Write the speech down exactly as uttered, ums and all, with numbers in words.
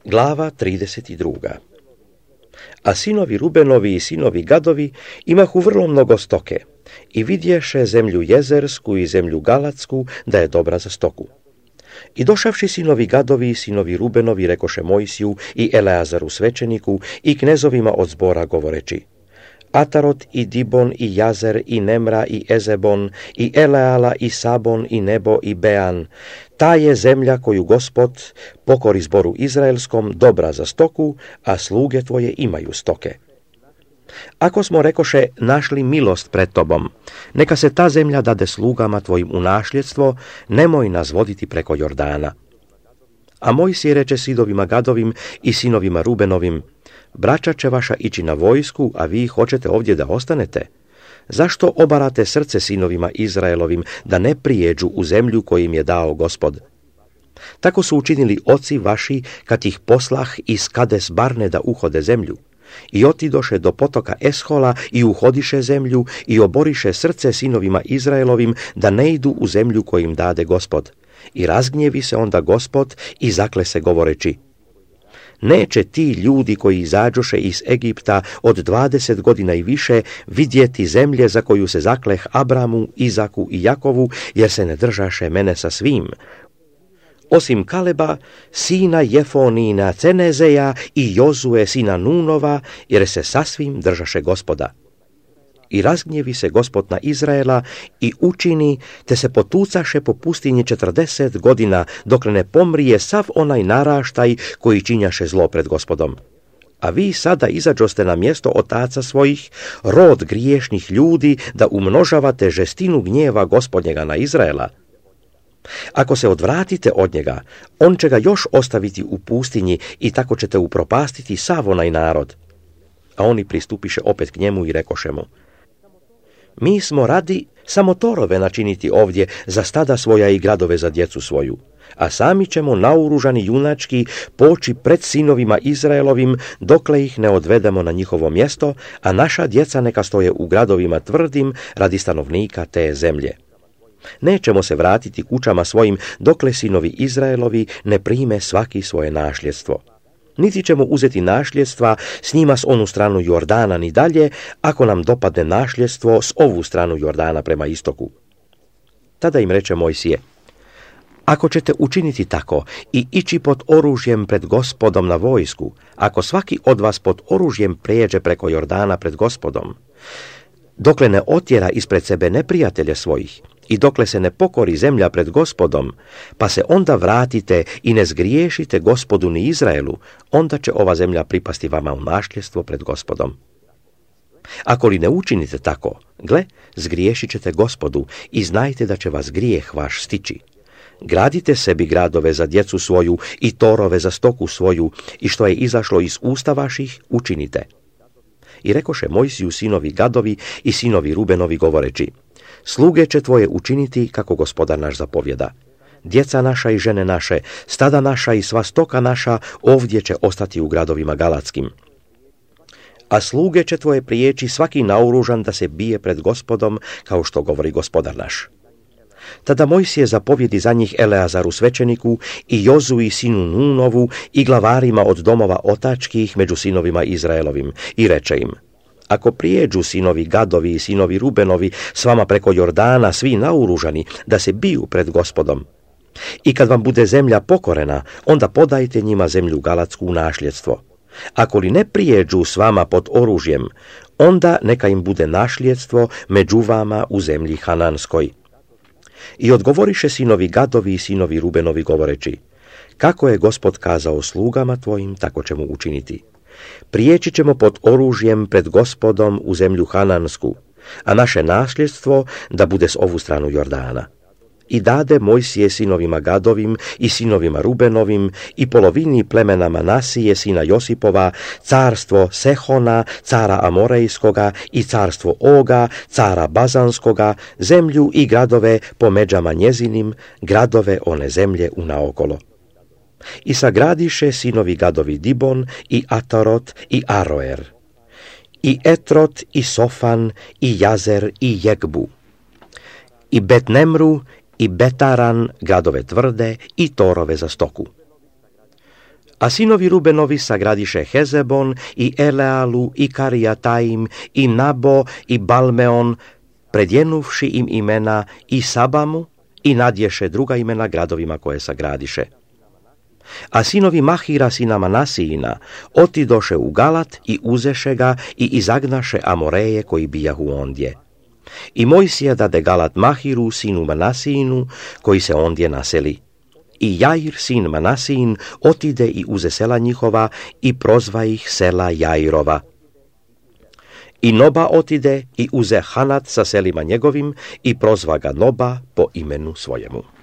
Glava trideset dva. A sinovi Rubenovi i sinovi Gadovi imahu vrlo mnogo stoke i vidješe zemlju jezersku i zemlju galatsku da je dobra za stoku. I došavši sinovi Gadovi i sinovi Rubenovi rekoše Mojsiju i Eleazaru svećeniku i knezovima od zbora govoreći: Atarot i Dibon i Jazer i Nemra i Ezebon i Eleala i Sabon i Nebo i Bean, ta je zemlja koju Gospod pokori zboru izraelskom dobra za stoku, a sluge tvoje imaju stoke. Ako smo, rekoše, našli milost pred tobom, neka se ta zemlja dade slugama tvojim u nasljedstvo, nemoj nas voditi preko Jordana. A Mojsije reče sidovima Gadovim i sinovima Rubenovim: braća će vaša ići na vojsku, a vi hoćete ovdje da ostanete? Zašto obarate srce sinovima Izraelovim da ne prijeđu u zemlju koju im je dao Gospod? Tako su učinili oci vaši kad ih poslah iz Kades Barne da uhode zemlju. I otidoše do potoka Eshola i uhodiše zemlju i oboriše srce sinovima Izraelovim da ne idu u zemlju koju im dade Gospod. I razgnjevi se onda Gospod i zakle se govoreći: neće ti ljudi koji izađoše iz Egipta od dvadeset godina i više vidjeti zemlje za koju se zakleh Abramu, Izaku i Jakovu, jer se ne držaše mene sa svim, osim Kaleba, sina Jefonina Cenezeja i Jozue, sina Nunova, jer se sasvim držaše Gospoda. I razgnjevi se Gospod na Izraela i učini, te se potucaše po pustinji četrdeset godina, dokle ne pomrije sav onaj naraštaj koji činjaše zlo pred Gospodom. A vi sada izađoste na mjesto otaca svojih, rod griješnih ljudi, da umnožavate žestinu gnjeva Gospodnjega na Izraela. Ako se odvratite od njega, on će ga još ostaviti u pustinji i tako ćete upropastiti sav onaj narod. A oni pristupiše opet k njemu i rekoše mu: mi smo radi samo torove načiniti ovdje za stada svoja i gradove za djecu svoju, a sami ćemo naoružani junački poći pred sinovima Izraelovim dokle ih ne odvedemo na njihovo mjesto, a naša djeca neka stoje u gradovima tvrdim radi stanovnika te zemlje. Nećemo se vratiti kućama svojim dokle sinovi Izraelovi ne prime svaki svoje nasljedstvo. Niti ćemo uzeti nasljedstva s njima s onu stranu Jordana ni dalje, ako nam dopadne nasljedstvo s ovu stranu Jordana prema istoku. Tada im reče Mojsije: ako ćete učiniti tako i ići pod oružjem pred Gospodom na vojsku, ako svaki od vas pod oružjem prijeđe preko Jordana pred Gospodom, dokle ne otjera ispred sebe neprijatelje svojih i dokle se ne pokori zemlja pred Gospodom, pa se onda vratite i ne zgriješite Gospodu ni Izraelu, onda će ova zemlja pripasti vama u nasljedstvo pred Gospodom. Ako li ne učinite tako, gle, zgriješit ćete Gospodu i znajte da će vas grijeh vaš stići. Gradite sebi gradove za djecu svoju i torove za stoku svoju, i što je izašlo iz usta vaših, učinite. I rekoše Mojsiju sinovi Gadovi i sinovi Rubenovi govoreći: sluge će tvoje učiniti kako Gospodar naš zapovjeda. Djeca naša i žene naše, stada naša i sva stoka naša ovdje će ostati u gradovima galatskim. A sluge će tvoje prijeći svaki naoružan da se bije pred Gospodom, kao što govori Gospodar naš. Tada Mojsije zapovjedi za njih Eleazaru svećeniku i Jozui sinu Nunovu i glavarima od domova otačkih među sinovima Izraelovim i reče im: ako prijeđu sinovi Gadovi i sinovi Rubenovi s vama preko Jordana svi naoružani da se biju pred Gospodom, i kad vam bude zemlja pokorena, onda podajte njima zemlju galatsku u nasljedstvo. Ako li ne prijeđu s vama pod oružjem, onda neka im bude nasljedstvo među vama u zemlji Hananskoj. I odgovoriše sinovi Gadovi i sinovi Rubenovi govoreći: kako je Gospod kazao slugama tvojim, tako ćemo učiniti. Prijeći ćemo pod oružjem pred Gospodom u zemlju Hanansku, a naše nasljedstvo da bude s ovu stranu Jordana. I dade Mojsije sinovima Gadovim i sinovima Rubenovim i polovini plemena Manasije sina Josipova carstvo Sehona, cara Amorejskoga, i carstvo Oga, cara Bazanskoga, zemlju i gradove po međama njezinim, gradove one zemlje unaokolo. I sagradiše sinovi Gadovi Dibon i Atarot i Aroer, i Etrot i Sofan i Jazer i Jegbu, i Betnemru i Betaran, gradove tvrde i torove za stoku. A sinovi Rubenovi sagradiše Hezebon i Elealu i Karijataim i Nabo i Balmeon, predjenuvši im imena i Sabamu i nadješe druga imena gradovima koje sagradiše. A sinovi Mahira sina Manasijina otidoše u Galat i uzeše ga i izagnaše Amoreje koji bijahu ondje. I Mojsija dade Galat Mahiru sinu Manasijinu koji se ondje naseli. I Jair sin Manasijin otide i uze sela njihova i prozva ih sela Jairova. I Noba otide i uze Hanat sa selima njegovim i prozva ga Noba po imenu svojemu.